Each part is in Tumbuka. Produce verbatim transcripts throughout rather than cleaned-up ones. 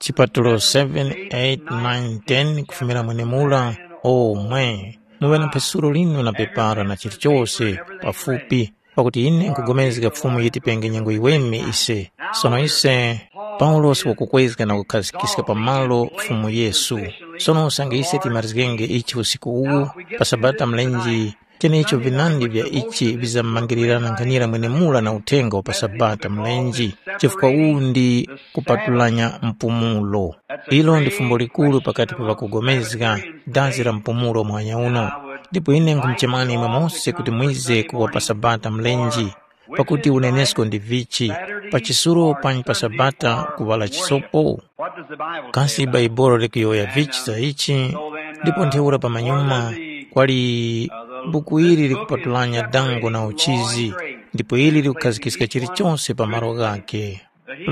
Chipatulo seven, eight, nine, ten kufumira mwenemura, omwe muŵe na mphasuro linu na pepara na chilichose pafupi, pakuti ine nkhugomezga Fumu yitipenge nyengo yiweme ise. Sono ise, Paulosi wakukwezga na kukhazikiska pamalo Fumu Yesu. Sono usange ise timarizgenge ichi usiku uwu, pa Sabata mlenji, Tenecho vinandi vya ichi vizamangirira na nkhanira mwenemura na uthenga wa pa Sabata mulenje, chifukwa uwu ndi kupatulanya mpumulo. Ilo ndi fumbo likuru pakati pa ŵakugomezga dazi la mpumulo muhanya uno. Ndipo ine nkhumuchemani imwe mose kuti mwize kuwa pa Sabata mulenje, pakuti unenesko ndi vichi, pa chisulo panyi pa Sabata kuŵala chisopo? Kasi Bhaibuli likuyowoya vichi za ichi? Ndipo ntheura pamanyuma kwali buku ili likupatulanya dango na uchizi, ndipo ili likukhazikiska chilichonse pa malo ghakhe.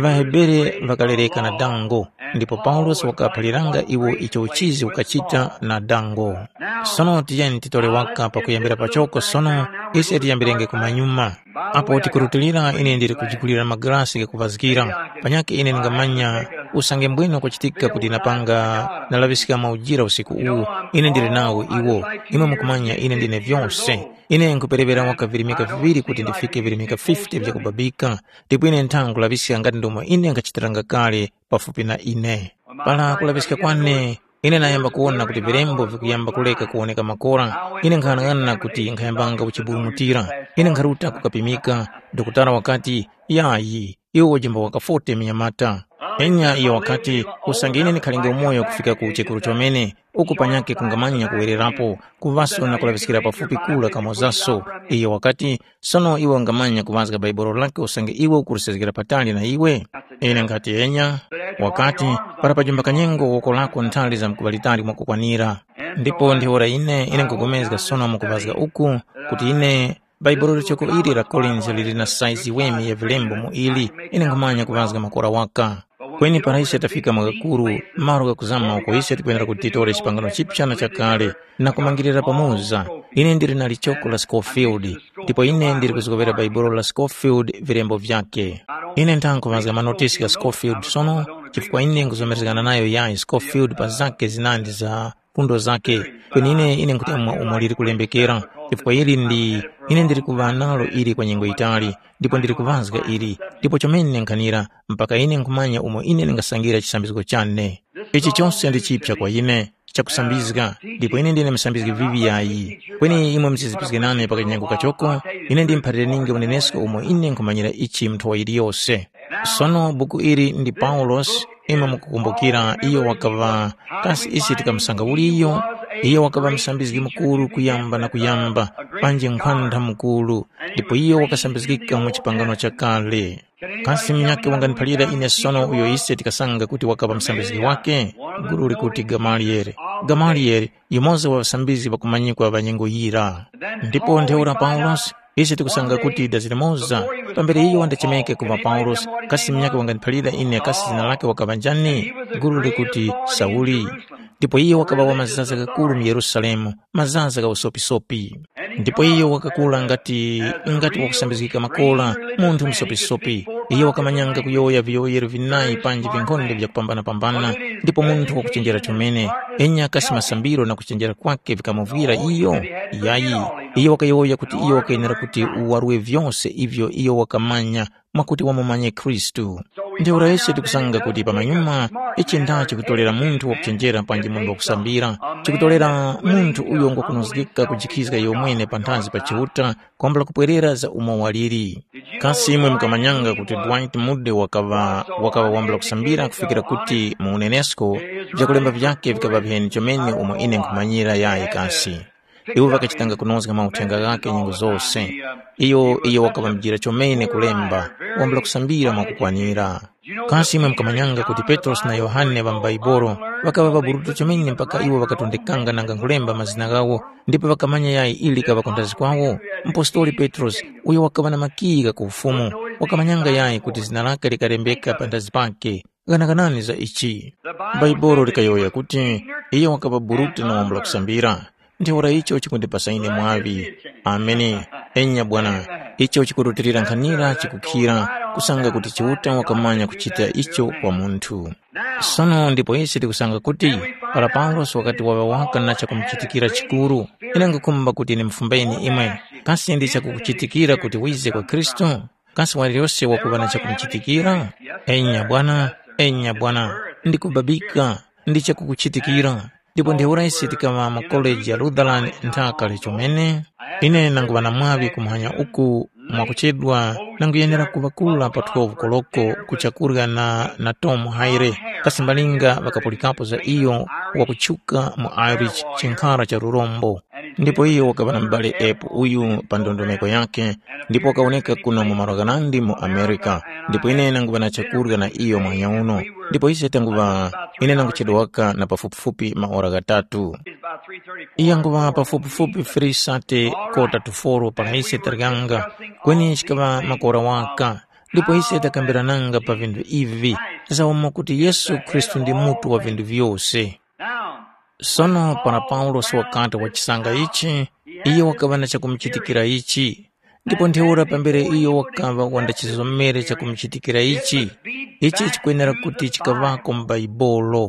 ВaHebere ŵakalereka na dango, ndipo Paulosi wakaphaliranga iwo icho uchizi ukachita na dango. Sono tiyeni titore waka pakuyambira pachoko sono, ise tiyambirenge kumanyuma. Apo tikurutilira ine ndili kujigulira magalasi ghakuŵazgira, panyakhe ine ndingamanya usange mbwino kwachitika kuti napanga nalaŵiska maujira usiku uwu, ine ndili nawo iwo, imwe mukumanya ine ndine vyose. Ine nkhupereŵera waka virimika viŵiri kuti ndifike virimika fifty vyakubabika, ndipo ine nthanga nkulaŵiska ngati ndomwe ine nkhachitiranga kale pafupi na ine. Para kulaŵiska kwane, ine nayamba kuwona kuti vilembo vikuyamba kuleka kuwoneka makora, ine nkhang'anang'ana kuti nkhayambanga kuchiburumutira. Ine nkharuta kukapimika, dokotala wakati, “Yayi, iwe wajemba waka forty mnyamata.” Enya iyo wakati, “Usange ine ndikhalenge umoyo kufika ku chekuru chomene, uku panyakhe kungamanya kuwererapo, kuŵaso na kulaŵiskira pafupi kura kamozaso.” Iyo wakati, “Sono iwe ungamanya kuŵazga Bhaibuli lake usange iwe ukulisezgera patali na iwe?” Ine nkhati, “Enya.” Wakati, “Para pajimba kanyengo woko lako nthali zamkuŵa litali mwakukwanira.” Ndipo ntheura ine, ine nkhupulikana sono mukuŵazga uku, kuti ine Bhaibuli lichoko ili la Korinzi lili na saizi weme ya vilembo mu ili, ine nkhumanya kuŵazga makora waka. Kweni para ise tafika mwa ghakuru, malo ghakuzama uko ise tikwenera kuti titore chipangano chipya na chakale, na kumangirira pamoza. Ine ndili na lichoko la Scofield, ndipo ine ndili kuzgowera Bhaibuli la Scofield vilembo vyakhe. Ine ntha nkhuŵazga manotisi gha Scofield sono, chifukwa ine nkhuzomerezgana nayo yayi Scofield pa zakhe zinandi za fundo zakhe. Kweni ine, ine nkhutemwa umo liri kulembekera, chifukwa ili ndi, ine ndili kuŵa nalo ili kwa nyengo yitali, ndipo ndili kuŵazga ili, ndipo chomene nkhanira, mpaka ine nkhumanya umo ine ndingasangira chisambizgo chane. Ichi chose ndi chipya kwa ine, chakusambizga, ndipo ine ndine musambizgi vivi yayi. Kweni imwe musizipizge nane pa kanyengo kachoko, ine ndimphalire ninge unenesko umo ine nkhumanyira ichi mu nthowa yiliyose. Sono buku ili ndi Paulosi, imwe mukukumbukira iyo wakaŵa, kasi ise tikamusanga uli iyo? Iyo wakaŵa musambizgi mukuru kuyamba na kuyamba, panji nkhwandha mukuru, ndipo iyo wakasambizgika mu chipangano chakale. Kasi munyakhe wanganiphalira ine sono uyo ise tikasanga kuti wakaŵa musambizgi wake? Gulu likuti Gamaliyele. Gamaliyele, yumoza wa ŵasambizgi ŵakumanyikwa ŵa nyengo yira. Ndipo ntheura Paulosi, ise tikusanga kuti dazi limoza, pambere iyo wandachemeke kuŵa Paulosi, kasi munyakhe wanganiphalira ine kasi zina lake wakaŵa njani? Gulu likuti Sauli. Ndipo iyo wakaŵa wa mazaza ghakuru mu Yerusalemu, mazaza gha usopisopi. Ndipo iyo wakakula ngati, ngati wakusambizgika makora, munthu musopisopi. Iyo wakamanyanga kuyowoya viyowoyero vinayi panji vinkhonde vyakupambana-pambana, ndipo munthu wakuchenjera chomene. Enya kasi masambiro na kuchenjera kwake vikamuvwira iyo? Yayi, iyo wakayowoya kuti iyo wakayenera kuti uwarwe vyose ivyo iyo wakamanya, mwakuti wamumanye Khristu. Ntheura ise tikusanga kuti pamanyuma, ichi nda chikutolera munthu wakuchenjera panji munthu wakusambira, chikutolera munthu uyo ngwakunozgeka kujikhizga iyomwene panthazi pa Chiuta, kwambula kupwerera za umo waliri. Kasi imwe mukamanyanga kuti Dwight Moody wakaŵa, wakaŵa wambula kusambira kufikira kuti mu unenesko, vyakulemba vyakhe vikaŵa viheni chomene umo ine nkhumanyira yayi kasi. Iwo ŵakachitanga kunozga mauthenga ghakhe nyengo zose. Iyo, iyo wakaŵamjira chomene kulemba, wambula kusambira mwakukwanira. Kasi imwe mukamanyanga kuti Petrosi na Yohane ŵa m'Baibolo ŵakaŵa ŵaburutu chomene mpaka iwo ŵakatondekanga nanga nkhulemba mazina ghawo, ndipo ŵakamanya yayi ili likaŵa ku nthazi kwawo? Mpostoli Petrosi, uyo wakaŵa na makiyi gha ku Ufumu, wakamanyanga yayi kuti zina lake likalembeka pa nthazi pake. Ghanaganani za ichi. Bhaibuli likayowoya kuti, “Iyo wakaŵa burute na wambula kusambira.” Ntheura icho chikundipasa ine mwaŵi. Ameni. Enya bwana, icho chikurutilira nkhanira chikukhira, kusanga kuti Chiuta wakamanya kuchita icho kwa munthu. Sono ndipo ise tikusanga kuti para Paulosi wakati waŵa waka na chakumuchitikira chikuru, ine nkhukhumba kuti ndimufumbayeni imwe, kasi ndi chakukuchitikira kuti wize kwa Khristu? Kasi waliyose wakuŵa na chakumuchitikira? Enya bwana, enya bwana, ndikubabika, ndi chakukuchitikira. Ndipo ntheura ise tikaŵa mu koleji ya Lutheran nthaka chomene. Ine nanguŵa na mwaŵi kumuhanya uku mwakuchedwa nanguyenera kuŵakula pa twelve koloko kuchakurya na, na Tom Haire, kasi malinga ŵakapulikapo za iyo wakutchuka mu Irish chinkhara cha lurombo. Ndipo iyo wakaŵa na mubali Epu uyu pa ndondomeko yakhe, ndipo wakawoneka kuno mu malo ghanandi mu Amerika, ndipo ine nanguŵa na chakurya na iyo mwanya uno, ndipo ise tanguŵa ine nanguchedwaka na pafupifupi maora ghatatu. Yanguŵa pafupifupi three thirty kota to four para ise taryanga, kweni chikaŵa makora waka, ndipo ise takambirananga pa vinthu ivi, za umo kuti Yesu Khristu ndi mutu wa vinthu vyose. Sono para Paulosi wakati wachisanga ichi, iyo wakaŵa na chakumuchitikira ichi. Ndipo ntheura pambere iyo wakaŵa wandachizomere chakumuchitikira ichi, ichi chikwenera kuti chikaŵako mu Bhaibuli.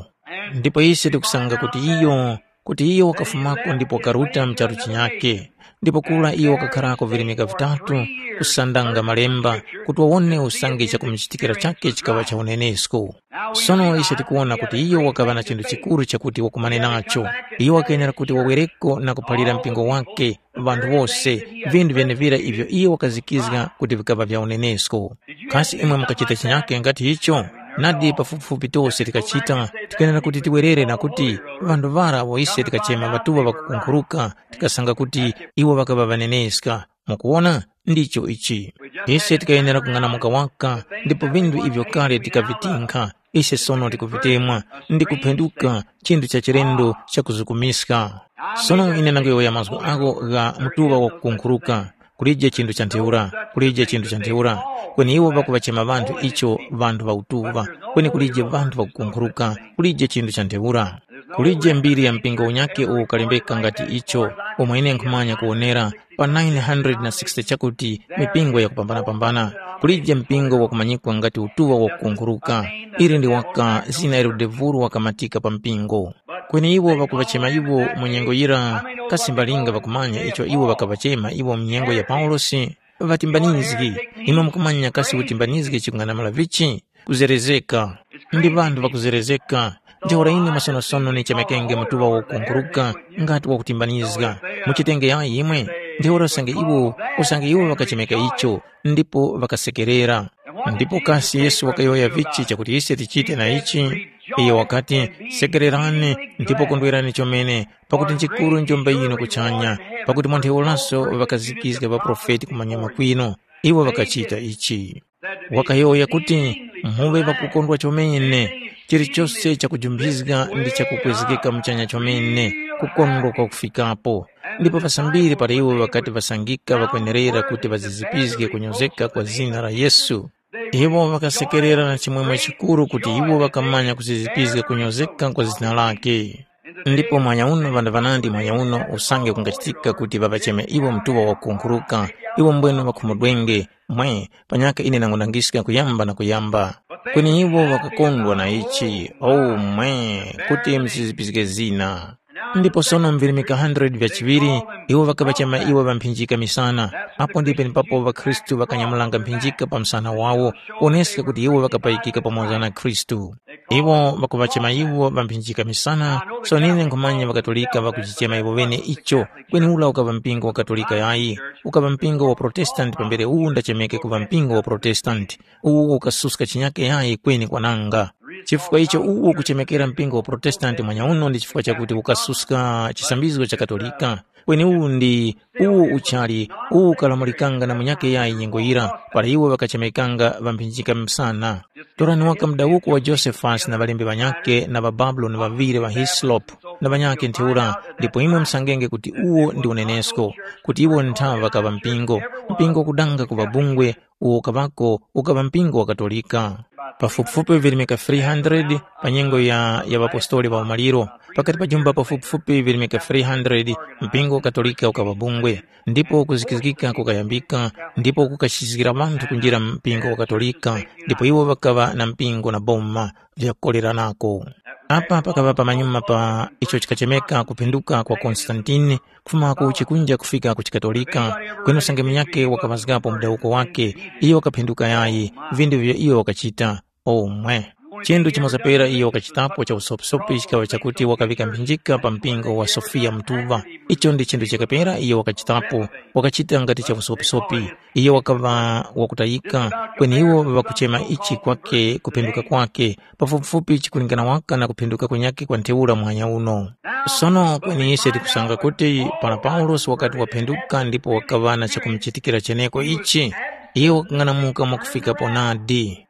Ndipo ise tikusanga kuti iyo, kuti iyo wakafumako ndipo wakaruta mu charu chinyakhe. Ndipo kura iyo wakakharako virimika vitatu, kusandanga malemba, kuti wawone usange chakumuchitikira chakhe chikaŵa cha unenesko. Sono ise tikuwona kuti iyo wakaŵa na chinthu chikuru chakuti wakumane nacho. Iyo wakenera kuti wawereko na kuphalira mpingo wake, ŵanthu wose, vinthu vyenevira ivyo iyo wakazikizga kuti vikaŵa vya unenesko. Kasi imwe mukachita chinyake ngati icho? Nadi pafupifupi tose tikachita, tikenera kuti tiwerere na kuti ŵanthu ŵara awo ise tikachema ŵatuŵa ŵakukunkhuruka, tikasanga kuti iwo ŵakaŵa ŵaneneska. Mukuwona? Ndicho ichi. Ise tikayenera kung'anamuka waka, ndipo vinthu ivyo kale tikavitinkha, ise sono tikuvitemwa, ndi kuphenduka chinthu cha chilendo chakuzukumiska. Sono ine ndangoyowoya mazgu agho gha mutuŵa wakukunkhuruka, kulije chinthu cha ntheura, kulije chinthu cha ntheura, kweni iwo ŵakuŵachema ŵanthu icho ŵanthu ŵa utuŵa, kweni kulije ŵanthu ŵakukunkhuruka, kulije chinthu cha ntheura. Kulije mbiri ya mpingo unyakhe uwo ukalembeka ngati icho, umo ine nkhumanya kuwonera, pa nine hundred na sixty chakuti mipingo yakupambanapambana, kulije mpingo wakumanyikwa ngati utuŵa wakukunkhuruka. Ili ndi waka zina ilo devulu wakamatika pa mpingo. Kweni iwo ŵakuŵachema iwo mu nyengo yira, kasi mbalinga ŵakumanya icho iwo ŵakaŵachema iwo mu nyengo ya Paulosi? Ŵatimbanizgi. Imwe mukumanya kasi utimbanizgi chikung'anamula vichi? Kuzerezeka. Ndi ŵanthu ŵakuzerezeka. Ntheura ine masonosono nichemekenge mutuŵa wakukunkhuruka ngati wakutimbanizga. Muchitenge yayi imwe. Ntheura usange iwo, usange iwo ŵakachemeka icho, ndipo ŵakasekerera. Ndipo kasi Yesu wakayowoya vichi chakuti ise tichite na ichi? Iyo wakati, sekererani ndipo kondwerani chomene, pakuti nchikuru njombe yinu kuchanya, pakuti mwa ntheuraso ŵakazikizga ŵaprofeti kumanyuma kwinu. Iwo ŵakachita ichi. Wakayowoya kuti, muŵe ŵakukondwa chomene, chilichose chakujumbizga ndi chakukwezgeka muchanya chomene, kukondwa kwakufikapo. Ndipo ŵasambiri para iwo ŵakati ŵasangika ŵakwenerera kuti ŵazizipizge kunyozeka kwa zina la Yesu, iwo ŵakasekerera na chimwemwe chikuru kuti iwo ŵakamanya kuzizipizga kunyozeka kwa zina lake. Ndipo mwanya uno ŵanthu ŵanandi mwanya uno usange kungachitika kuti ŵaŵacheme iwo mtuŵa wakukunkhuruka, iwo mbwene ŵakhumudwenge, mwe, panyaka ine nangunangiska kuyamba na kuyamba. Kweni iwo ŵakakondwa na ichi, o mwe, kuti msizipizge zina. Ndipo sono mvirimika hundred vya chiŵiri, iwo ŵakaŵachema iwo ŵamphinjika misana, apo ndi penepapo ŵakhristu ŵakanyamulanga mphinjika pa msana wawo, kuwoneska kuti iwo ŵakapayikika pamoza na Khristu. Iwo ŵakuŵachema iwo ŵamphinjika misana, sono ine nkhumanya ŵaKatolika ŵakuchichema iwo ŵene icho, kweni ula ukaŵa mpingo wa Katolika yayi, ukaŵa mpingo wa Protestanti pambere uwu ndachemeke kuŵa mpingo wa Protestanti, uwo ukasuska chinyake yayi kweni kwananga. Chifukwa icho uwo ukuchemekera mpingo wa Protestanti mwanyauno ndi chifukwa chakuti ukasuska chisambizgo cha Katolika, kweni uwu ndi uwo uchali uwo ukalamulikanga na munyakhe yayi nyengo yira para iwo ŵakachemekanga ŵamphinjika msana. Torani waka mudawuko wa Josephus na ŵalembi ŵanyakhe na ŵababuloni ŵaŵiri ŵa Hislop na ŵanyakhe ntheura, ndipo imwe musangenge kuti uwo ndi unenesko, kuti iwo nthaŵa ŵakaŵa mpingo, mpingo wakudanga kuŵa bungwe, uwo ukaŵako ukaŵa mpingo wa Katolika. Pafupifupi virimika three hundred pa nyengo ya, ya ŵapostoli ŵa umaliro, Pakati pa jumba pafupifupi virimika three hundred, mpingo wa Katolika ukaŵa bungwe, ndipo kuzikizgika kukayambika, ndipo kukachizgira ŵanthu kunjira mpingo wa Katolika, ndipo iwo ŵakaŵa na mpingo na boma vyakukoleranako. Apa pakaŵa pamanyuma pa icho chikachemeka kuphinduka kwa Konstantine, kufuma ku chikunja kufika ku chikatolika, kweni usange munyakhe wakaŵazgapo mudawuko wakhe, iyo wakaphinduka yayi, vindu vivyo iyo wakachita. Omwe. Chinthu chimoza pera iyo wakachitapo cha usopisopi chikaŵa chakuti wakaŵika mphinjika pa mpingo wa Sofiya mutuŵa. Icho ndi chinthu chakapera iyo wakachitapo, wakachita ngati cha usopisopi. Iyo wakaŵa wakutayika, kweni iwo ŵakuchema ichi kwake kuphenduka kwake, pafupifupi chikulingana waka na kuphenduka kunyakhe kwa ntheura muhanya uno. Sono kweni ise tikusanga kuti para Paulosi wakati waphenduka ndipo wakaŵa na chakumuchitikira cheneko ichi, iyo wakang'anamuka mwakufikapo nadi.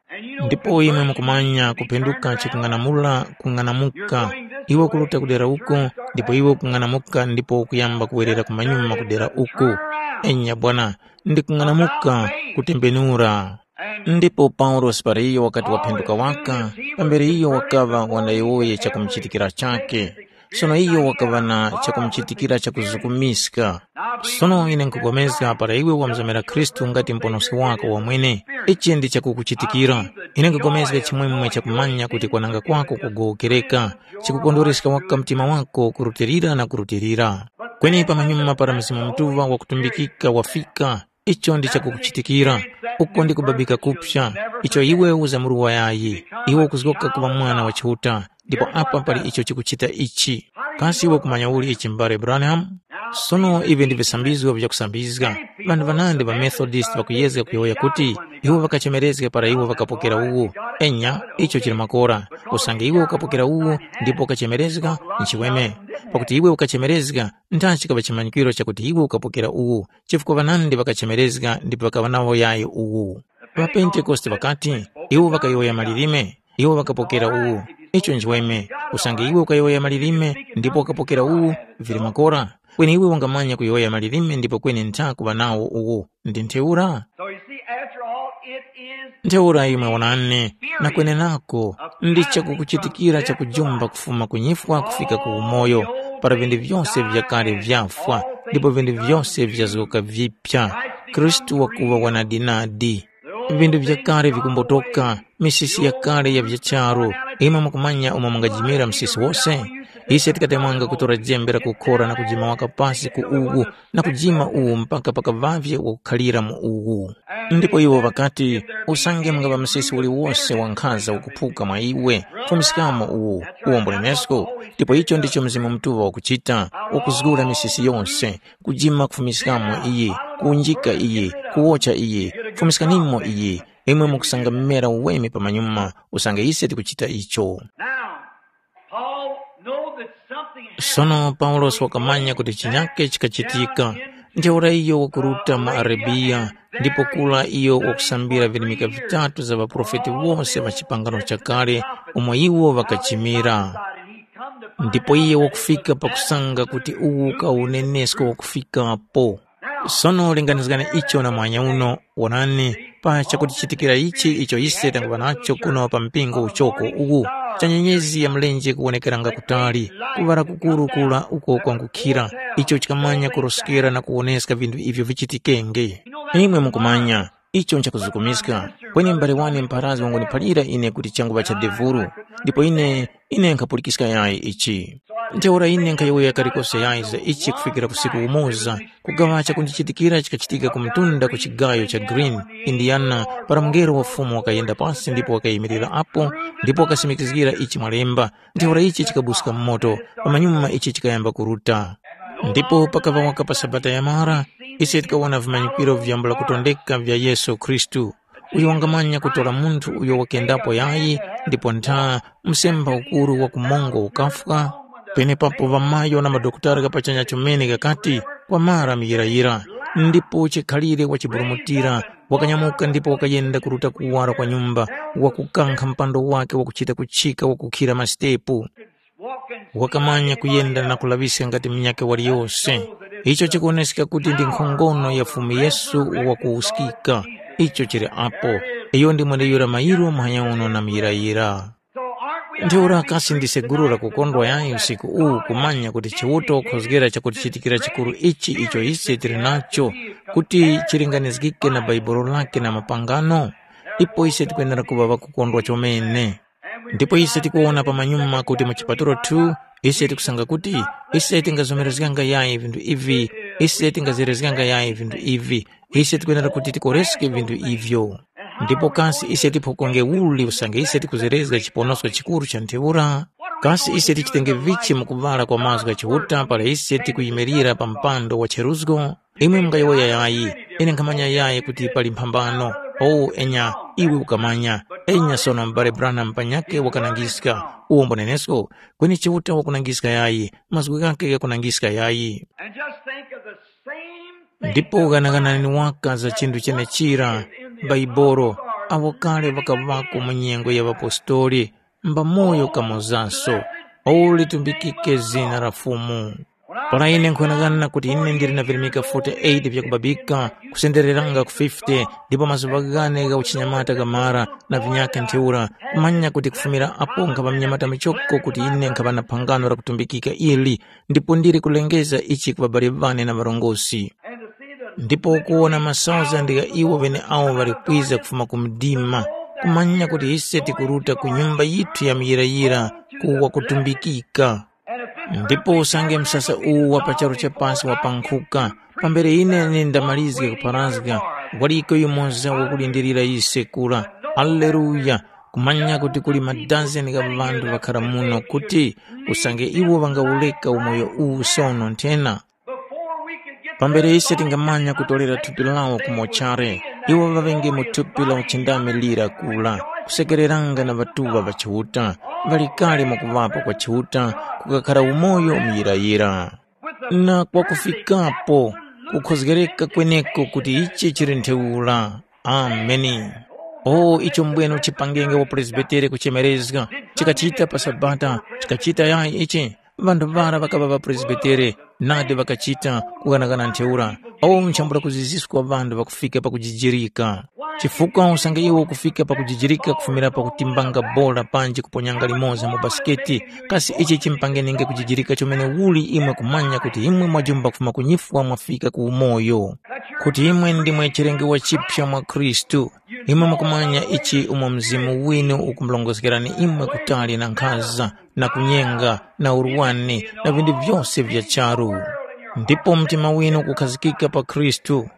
Ndipo imwe mukumanya kuphenduka chikung'anamula kung'anamuka, iwe kuruta kudera uko, ndipo iwe kung'anamuka ndipo ukuyamba kuwerera kumanyuma kudera uku. Enya bwana, ndi kung'anamuka kutembenura. Ndipo Paulosi para iyo wakati waphenduka waka, pambere iyo wakaŵa wanayowoye chakumuchitikira chakhe. Sono iyo wakaŵa na chakumuchitikira chakuzukumiska. Sono ine nkupulikana para iwe wamuzomera Khristu ngati Muponoski wako wamwene, ichi ndi chakukuchitikira. Ine nkupulikana chimwemwe chakumanya kuti kwananga kwako kugowokereka, chikukondwereska waka mtima wako kurutilira na kurutilira. Kweni pamanyuma para Mzimu Mutuŵa wakutumbikika wafika, icho ndi chakukuchitikira, uko ndi kubabika kupsa, icho iwe uzamuruwa yayi, iwe ukuzgoka kuŵa mwana wa Chiuta, ndipo apa pali icho chikuchita ichi. Kasi iwe kumanya uli ichi mbale Branham? Sono ivi ndi visambizgo vyakusambizga. Ŵanthu ŵanandi ŵa Methodist ŵakuyezga kuyowoya kuti iwo ŵakachemerezga para iwo ŵakapokera uwu. Enya, icho chili makora. Usange iwe ukapokera uwu ndipo ukachemerezga, nchiweme. Pakuti iwe ukachemerezga, nthachikaŵa chimanyikiro chakuti iwe ukapokera uwu, chifukwa ŵanandi ŵakachemerezga ndipo ŵakaŵa nawo yayi uwu. །ܦa Pentekoste ŵakati, iwo ŵakayowoya malilime, iwo ŵakapokera uwu. Icho nchiweme, usange iwe ukayowoya malilime ndipo ukapokera uwu, vili makora. Kweni iwe ungamanya kuyowoya malilime ndipo kweni ntha kuŵa nawo uwu. Ndi ntheura? So you see, after all, it is Ntheura imwe wonani, na kwenenako, ndi chakukuchitikira chakujumba kufuma ku nyifwa kufika ku umoyo, para vinthu vyose vyakale vyafwa, ndipo vinthu vyose vyazgoka vipya. Khristu wakuŵa wanadinadi. Vinthu vyakale vikumbotoka, misisi yakale ya vyacharu. Imwe mukumanya umo mungajimira msisi wose? Ise tikatemwanga kutora jembe la kukhora na kujima waka pasi ku uwu, na kujima uwu mpaka pakaŵavye wakukhalira mu uwu. Ndipo iwo ŵakati, usange mungaŵa msisi uliwose wankhaza ukuphuka mwa iwe, fumiskamo uwu, uwombolenesko. Ndipo icho ndicho Mzimu Mutuŵa wakuchita, ukuzgula misisi yose, kujima kufumiskamo iyi, kuwunjika iyi, kuwocha iyi, fumiskanimo iyi, imwe mukusanga mmera uweme pamanyuma, usange ise tikuchita icho. Now, Paul know that something happened. Sono Paulosi wakamanya kuti chinyake chikachitika. Ntheura iyo wakuruta mu Arabiya, ndipo kula iyo wakusambira virimika vitatu za ŵaprofeti wose ŵa chipangano chakale, umo iwo ŵakachimira. Ndipo iye wakufika pakusanga kuti uwu ka unenesko wakufikapo. Sono linganizgani icho na mwanya uno, wonani, pa chakutichitikira ichi icho ise tanguŵa nacho kuno pa mpingo uchoko uwu, cha nyenyezi ya mlenje kuwonekeranga kutali, kuŵala kukuru kura uko kwangukhira, icho chikamanya kuroskera na kuwoneska vinthu ivyo vichitikenge. Imwe mukumanya, icho nchakuzukumiska, kweni m'bale wane mpharazgi wanguniphalira ine kuti changuŵa cha devulu, ndipo ine, ine nkhapulikiska yayi ichi. Ntheura ine nkhayowoya kalikose yayi za ichi kufikira usiku umoza, kugaŵa chakundichitikira chikachitika ku mtunda ku chigayo cha Green, Indiana, para mungelo wa Fumu wakayenda pasi ndipo wakayimirira apo, ndipo wakasimikizgira ichi mwalemba, ntheura ichi chikabuska mu moto, pamanyuma ichi chikayamba kuruta. Ndipo pakaŵa waka pa Sabata yamara, ise tikawona vimanyikiro vyambula kutondeka vya Yesu Khristu. Uyo wangamanya kutora munthu uyo wakendapo yayi, ndipo ntha msemba ukuru wa kumongo ukafwa? Penepapo ŵamayo na madokotala ghapachanya chomene ghakati, kwamara muyirayira. Ndipo chikhalire wachiburumutira, wakanyamuka ndipo wakayenda kuruta kuwara kwa nyumba, wakukankha mpando wake wakuchita kuchika wakukhira masitepu. Wakamanya kuyenda na kulaŵiska ngati munyakhe waliyose. Icho chikuwoneska kuti ndi nkhongono ya Fumu Yesu wakuwuskika. Icho chili apo. Iyo ndi mweneyura mairo muhanya uno na muyirayira. Ntheura kasi ndi seguro lakukondwa yayi usiku uwu kumanya kuti Chiuta wakhozgera chakutichitikira chikuru ichi icho ise tili nacho kuti chilinganizgike na Bhaibuli lake na mapangano? Ipo ise tikwenera kuŵa ŵakukondwa chomene. Ndipo ise tikuwona pamanyuma kuti mu chipatulo two ise tikusanga kuti ise tingazomerezganga yayi vinthu ivi, ise tingazerezganga yayi vinthu ivi, ise tikwenera kuti tikoreske vinthu ivyo. Ndipo kasi ise tiphokonge uli usange ise tikuzerezga chiponosko chikuru cha ntheura? Kasi ise tichitenge vichi mu kuŵala kwa mazgu gha Chiuta para ise tikuyimirira pa mpando wa cheruzgo? Imwe mungayowoya yayi, ine nkhamanya yayi kuti pali mphambano. O enya, iwe ukamanya. Enya sono m'bale Branham panyakhe wakanangiska, uwo mbo nenesko, kweni Chiuta wakunangiska yayi, mazgu ghakhe ghakunangiska yayi. And just think of the same thing. Ndipo ghanaghanani waka za chinthu chenechira, Baibolo, awo kale ŵakaŵako mu nyengo ya ŵapostoli, mbamoyo kamozaso, awo litumbikike zina la Fumu. Para ine nkhughanaghana kuti ine ndili na virimika forty-eight vyakubabika, kusendereranga ku fifty, ndipo mazuŵa ghane gha uchinyamata ghamara na vinyakhe ntheura, kumanya kuti kufumira apo nkhaŵa munyamata muchoko kuti ine nkhaŵa na phangano lakutumbikika ili, ndipo ndili kulengeza ichi ku ŵabali ŵane na ŵarongozgi. Ndipo ukuwona masauzandi gha iwo ŵeneawo ŵali kwiza kufuma ku mdima, kumanya kuti ise tikuruta ku nyumba yithu ya muyirayira ku wakutumbikika. Ndipo usange msasa uwu wa pa charu cha pasi wapankhuka, pambere ine ndamalizge kupharazga, waliko yumoza wakulindirira ise kura. Aleluya! Kumanya kuti kuli madazeni gha ŵanthu ŵakhara muno kuti usange iwo ŵangawureka umoyo uwu sono nthena, pambere ise tingamanya kutolera thupi lawo ku mochare, iwo ŵaŵenge mu thupi la uchindami lira kura, kusekereranga na ŵatuŵa ŵa Chiuta, ŵali kale mwakuŵapo kwa Chiuta, kukakhara umoyo muyirayira. Na kwakufikapo, kukhozgereka kweneko kuti ichi chili ntheura. Ameni. O icho mbwene uchipangenge wa Presbitere kuchemerezga, chikachita pa Sabata, chikachita yayi ichi? Ŵanthu ŵara ŵakaŵa ŵapresbitere, nadi ŵakachita kughanagana ntheura. Awo nchambula kuziziska ŵanthu ŵakufika pakujijirika. Chifukwa usange iwo ukufika pakujijirika kufumira pakutimbanga bora panji kuponyanga limoza mu basiketi, kasi ichi chimpangeninge kujijirika chomene uli imwe kumanya kuti imwe mwajumba kufuma ku nyifwa mwafika ku umoyo? Kuti imwe ndimwe chilengewa chipya mwa Khristu, imwe mukumanya ichi umo Mzimu winu ukumulongozgerani imwe kutali na nkhaza, na kunyenga, na urwani, na vinthu vyose vya charu. Ndipo mtima winu kukhazikika pa Khristu.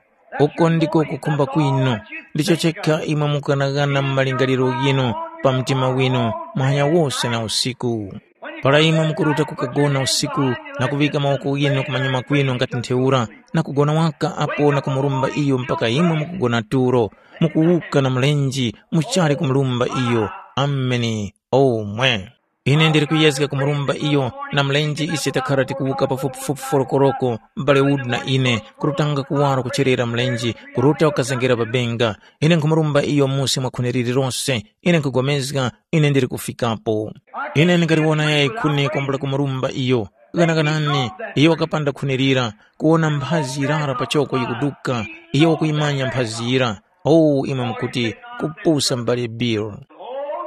Uko ndiko kukhumba kwinu. Ndicho chekha imwe mukughanaghana mu malingaliro ghinu, pa mtima winu, muhanya wose na usiku. Para imwe mukuruta kukagona usiku na kuŵika mawoko ghinu kumanyuma kwinu ngati ntheura, na kugona waka apo na kumurumba iyo mpaka imwe mukugona tulo, mukuwuka na mlenje, muchali kumurumba iyo. Ameni. Omwe. Ine ndili kuyezga kumurumba iyo na mlenje ise takhara tikuwuka pafupifupi forokoroko, m'bale Wood na ine, kurutanga kuwaro kucherera mlenje, kuruta ukazengera pa benga. Ine nkhumurumba iyo musi mwa khuni lililose, ine nkhupulikana ine ndili kufikapo. Ine ndingaliwona yayi khuni kwambula kumurumba iyo. Ghanaganani, iyo wakapanda khuni lira, kuwona mphazi yirara pachoko yikuduka, iyo wakuyimanya mphazi yira. Oh, imwe mukuti, kupusa m'bale Bill.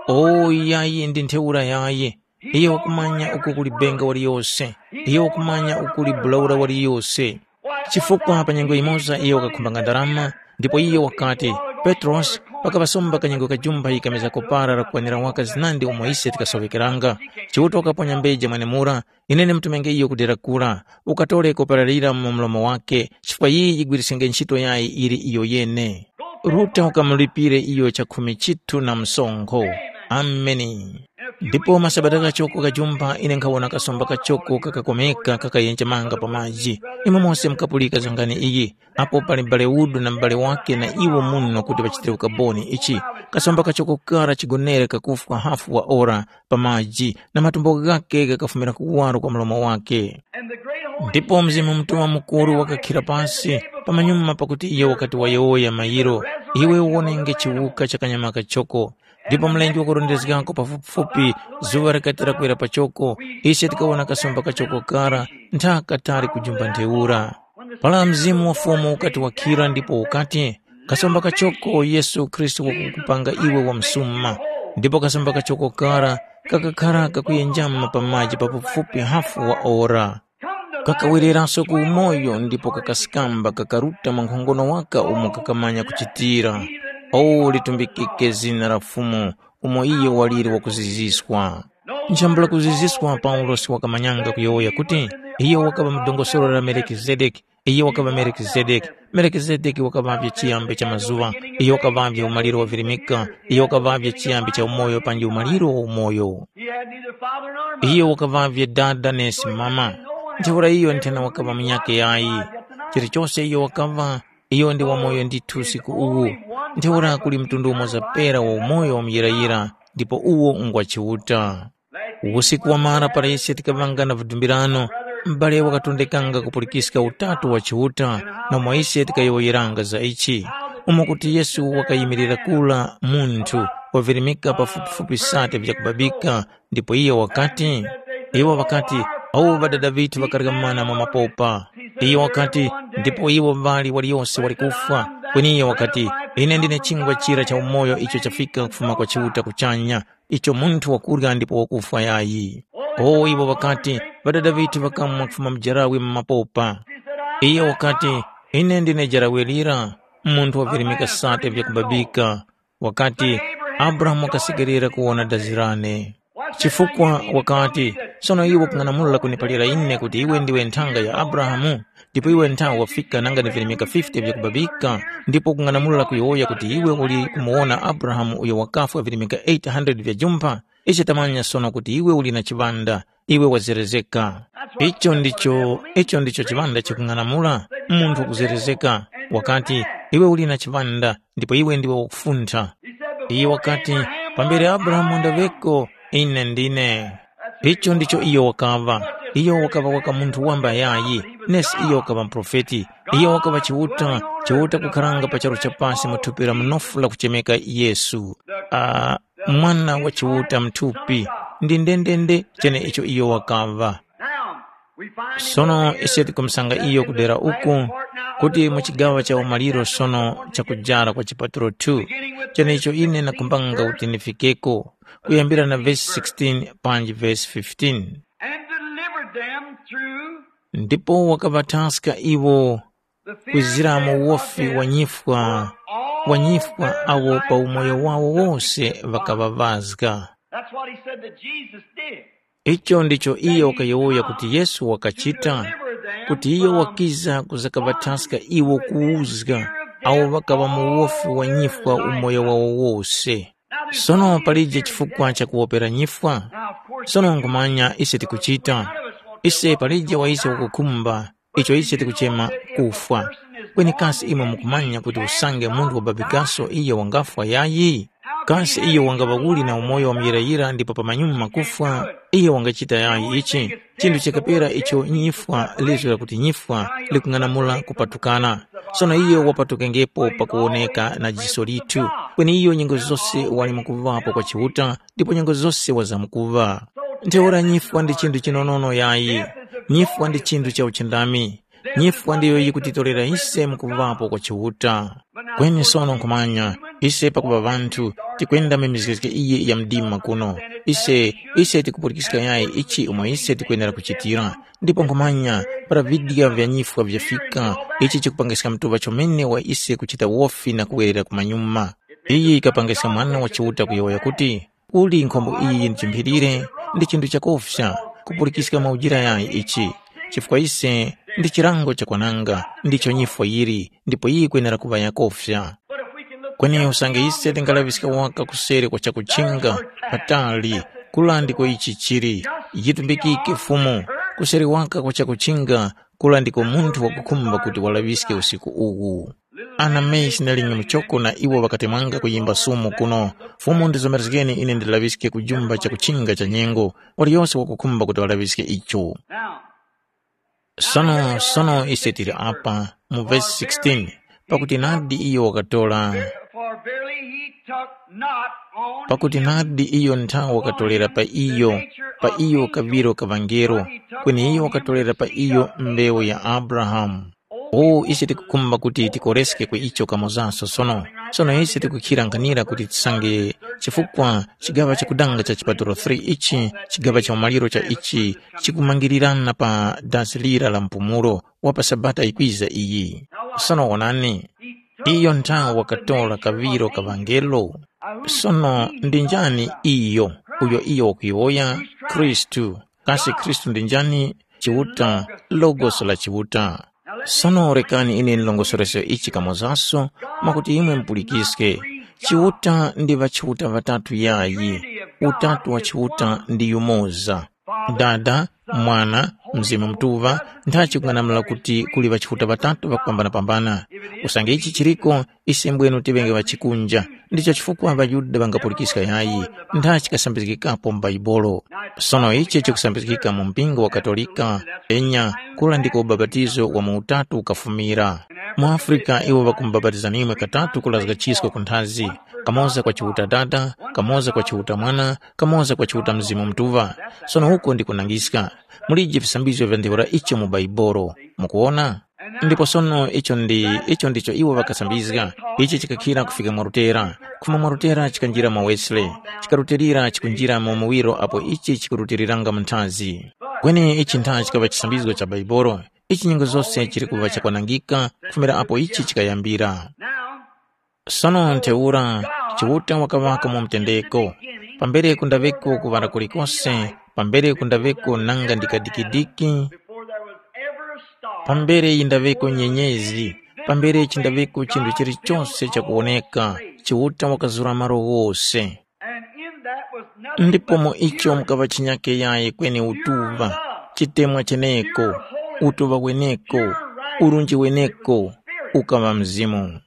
Oh, yayi ndi ntheura yayi. Iyo wakumanya uko kuli benga waliyose. Iyo wakumanya uko kuli bulaula waliyose. Chifukwa pa nyengo yimoza iyo wakakhumbanga ndarama, ndipo iyo wakati, Petrosi, pakaŵasomba kanyengo kajumba yikamiza kopara lakukwanira waka zinandi umo ise tikasoŵekeranga. Chiuta wakaponya mbeja mwenemura, ine ndimutumenge iyo ku dera kura, ukatore kopara lira mu mlomo wakhe, chifukwa iyi yigwirisenge ntchito yayi ili iyo yene. Ruta ukamulipire iyo chakhumi chithu na msonkho. Ameni. Ndipo masabata kachoko kajumba ine nkhawona kasomba kachoko kakakomeka kakayenjemanga pa maji. Imwe mose mukapulika zangani iyi, apo pali m'bale Wood na m'bale wakhe na iwo muno kuti ŵachitire ukaboni ichi. Kasomba kachoko kara chigonere kakufwa hafu wa ora pa maji, na matumbo ghakhe ghakafumira kuwaro kwa mlomo wakhe. Ndipo Mzimu Mutuŵa Mukuru wakakhira pasi pamanyuma pakuti iyo wakati wayowoya mayiro, iwe uwonenge chiwuka cha kanyama kachoko. Ndipo mlenje wakurondezgako pafupifupi, zuŵa likati lakwera pachoko, ise tikawona kasomba kachoko kara ntha katali kujumba ntheura. Para Mzimu wa Fumu ukati wakhira ndipo ukati, kasomba kachoko Yesu Khristu wakukupanga iwe wamsuma. Ndipo kasomba kachoko kara kakakhara kakuyenjama pa maji pafupifupi hafu wa ora. Kakawereranso ku umoyo ndipo kakasikamba kakaruta mwa nkhongono waka umo kakamanya kuchitira. O litumbikike zina la Fumu, umo iyo waliri wakuziziswa. Nchambula kuziziswa Paulosi wakamanyanga kuyowoya kuti, iyo wakaŵa mu dongosolo la Melikizedeki, iyo wakaŵa Melikizedeki. Melikizedeki wakaŵavye chiyambi cha mazuŵa, iyo wakaŵavye umaliro wa virimika, iyo wakaŵavye chiyambi cha umoyo panji umaliro wa umoyo. He had neither father nor mother. Iyo wakaŵavye dada nesi mama. Ntheura iyo nthena wakaŵa munyakhe yayi. Chilichose iyo wakaŵa, iyo ndi wamoyo ndithu usiku uwu. Ntheura kuli mtundu umoza pera wa umoyo wa muyirayira, ndipo uwo ngwa Chiuta. Usiku wamara para ise tikaŵanga na vidumbirano, m'bale wakatondekanga kupulikiska Utatu wa Chiuta, na mwa ise tikayowoyeranga za ichi, umo kuti Yesu wakayimirira kula munthu wavirimika pafupifupi sate vyakubabika, ndipo iyo wakati, iwo ŵakati, “Awo ŵadada ŵithu ŵakarya mana mwa mapopa.” Iyo wakati, “Ndipo iwo ŵali waliyose wali kufwa.” Kweni iyo wakati, “Ine ndine chingwa chira cha umoyo icho chafika kufuma kwa Chiuta kuchanya, icho munthu wakurya ndipo wakufwa yayi.” O iwo ŵakati, “Ŵadada ŵithu ŵakamwa kufuma mu jarawe mu mapopa.” Iyo wakati, “Ine ndine jarawe lira, munthu wavirimika sate vyakubabika.” Wakati, “Abrahamu wakasekerera kuwona dazi lane.” Chifukwa wakati, “Sono iwe ukung'anamula kuniphalira ine kuti iwe ndiwe nthanga ya Abrahamu, ndipo iwe nthawe wafika nanga ni virimika fifty vyakubabika, ndipo ukung'anamula kuyowoya kuti iwe uli kumuwona Abrahamu uyo wakafwa virimika eight hundred vya jumpha? Ise tamanya sono kuti iwe uli na chiŵanda, iwe wazerezeka.” Icho ndicho, icho ndicho chiŵanda chikung'anamula, munthu kuzerezeka. Wakati, “Iwe uli na chiŵanda, ndipo iwe ndiwe wakufuntha.” Iye wakati, “Pambere Abrahamu wandaŵeko, ine ndine.” Icho ndicho iyo wakaŵa. Iyo wakaŵa waka munthu wamba yayi, nesi iyo wakaŵa muprofeti. Iyo wakaŵa Chiuta, Chiuta kukharanga pa charu cha pasi mu thupi la munofu lakuchemeka Yesu. Ah, Mwana wa Chiuta mthupi, ndi ndendende cheneicho iyo wakaŵa. Now, we find in Sono the ise tikumusanga iyo kudera uku kuti mu chigawo cha umaliro sono chakujara kwa chipatulo two, cheneicho ine nakhumbanga kuti ndifikeko, kuyambira na vesi sixteen panji vesi fifteen. And delivered them through Ndipo wakaŵathaska iwo the fear kwizira mu and uwofi of wa death nyifwa, all wa nyifwa their awo pa umoyo wawo wose ŵakaŵavazga. That's what he said that Jesus did. Icho ndicho iyo wakayowoya kuti Yesu wakachita, kuti iyo wakiza kuzakaŵathaska iwo kuwuzga awo ŵakaŵa mu uwofi wa nyifwa umoyo wawo wose. Sono palije chifukwa cha kuwopera nyifwa? Sono nkhumanya ise tikuchita. Ise palije wa ise wakukhumba icho ise tikuchema kufwa. Kweni kasi imwe mukumanya kuti usange munthu wababikaso iyo wangafwa yayi? Kasi iyo wangaŵa uli na umoyo wa muyirayira ndipo pamanyuma kufwa? Iyo wangachita yayi ichi? Chinthu chakapera icho nyifwa lizgo lakuti nyifwa likung'anamula kupatukana. Sono iyo wapatukengepo pakuwoneka na jiso lithu, kweni iyo nyengo zose wali mukuŵapo kwa Chiuta ndipo nyengo zose wazamkuŵa. Ntheura nyifwa ndi chinthu chinonono yayi. Nyifwa ndi chinthu cha uchindami. Nyifwa ndiyo yikutitorera ise mukuŵapo kwa Chiuta. Kweni sono nkhumanya, ise pakuŵa ŵanthu, tikwenda mu mizgezge iyi ya mdima kuno. Ise, ise tikupulikiska yayi ichi umo ise tikwenera kuchitira. Ndipo nkhumanya, para vidya vya nyifwa vyafika, ichi chikupangiska mtuŵa chomene wa ise kuchita wofi na kuwerera kumanyuma. Iyi yikapangiska Mwana wa Chiuta kuyowoya kuti, Uli nkhombo iyi ndi chimphirire, ndi chinthu chakofya, kupulikiska mwaujira yayi ichi, chifukwa ise ndi chilango chakwananga, ndicho nyifwa yili, ndipo yikwenera kuŵa yakofya. Kweni usange ise tingalaŵiska waka kuseri kwa chakuchinga, patali, kula ndiko ichi chili, yitumbikike Fumu, kuseri waka kwa chakuchinga, kula ndiko munthu wakukhumba kuti walaŵiske usiku uwu. Ana mesi na linyemu choko na iwo ŵakatemwanga kuyimba sumu kuno, Fumu ndizomerezgeni ine ndilaŵiske ku jumba cha kuchinga cha nyengo, waliyose wakukhumba kuti walaŵiske icho. Sono, sono ise tili apa, mu vesi sixteen, pakuti nadi iyo wakatora, For verily he took not on pakuti him nadi iyo nthawi wakatolera pa iyo, pa iyo kaŵiro ka ŵangelo, kweni iyo wakatolera pa iyo mbewu ya Abrahamu. O ise tikukhumba kuti tikoreske ku icho kamozaso sono. Sono ise tikukhira nkhanira kuti tisange chifukwa chigaŵa chakudanga cha chipatulo three ichi, chigaŵa cha umaliro cha ichi, chikumangirirana pa dasi lira la mpumulo wa pa Sabata yikwiza iyi. Sono wonani, iyo nthawe wakatora kaŵiro ka ŵangelo. Sono ndi njani iyo, uyo iyo wakuyowoya? Khristu. Kasi Khristu ndi njani? Chiuta, Logos la Chiuta. Sono rekani ine ndilongosoreso ichi kamozaso, mwakuti imwe mupulikiske. Chiuta ndi ŵachiuta ŵatatu yayi, utatu wa Chiuta ndi yumoza. Dada, Mwana, Mzimu Mutuŵa, nthachi kung'anamula kuti kuli ŵachiuta ŵatatu ŵakupambanapambana. Usange ichi chiriko, ise mbwenu tiŵenge ŵachikunja. Ndicho chifukwa ŵaYuda ŵangapulikiska yayi, nthachi kasambizgikapo mu Bhaibuli. Sono ichi chikusambizgika mu mpingo wa Katolika, enya, kula ndiko ubapatizo wa mu utatu ukafumira. Mu Afrika iwo ŵakumubapatiza nimwe katatu kulazga chisko ku nthazi, kamoza kwa Chiuta Dada, kamoza kwa Chiuta Mwana, kamoza kwa Chiuta Mzimu Mutuŵa. Sono uko ndi kunangiska. Mulije visambizgo vya ntheura icho mu Baibolo. Mukuwona? Ndipo sono icho ndi icho ndicho iwo ŵakasambizga. Ichi chikakhira kufika mwa Lutera. Kufuma mwa Lutera chikanjira mwa Wesley. Chikarutilira chikunjira mu muwiro apo ichi chikurutiliranga mu nthazi. Kweni ichi ntha chikaŵa chisambizgo cha Baibolo. Ichi nyengo zose chili kuŵa chakwanangika kufumira apo ichi chikayambira. Sono ntheura, Chiuta wakaŵako mu mtendeko. Pambere kundaŵeko kuŵala kulikose, pambere kundaŵeko nanga ndi kadikidiki, pambere yindaŵeko nyenyezi, pambere chindaŵeko chinthu chilichose chakuwoneka, Chiuta wakazura malo ghose. Ndipo mu icho mukaŵa chinyake yayi kweni utuŵa, chitemwa cheneko, utuŵa weneko, urunji weneko, ukaŵa Mzimu.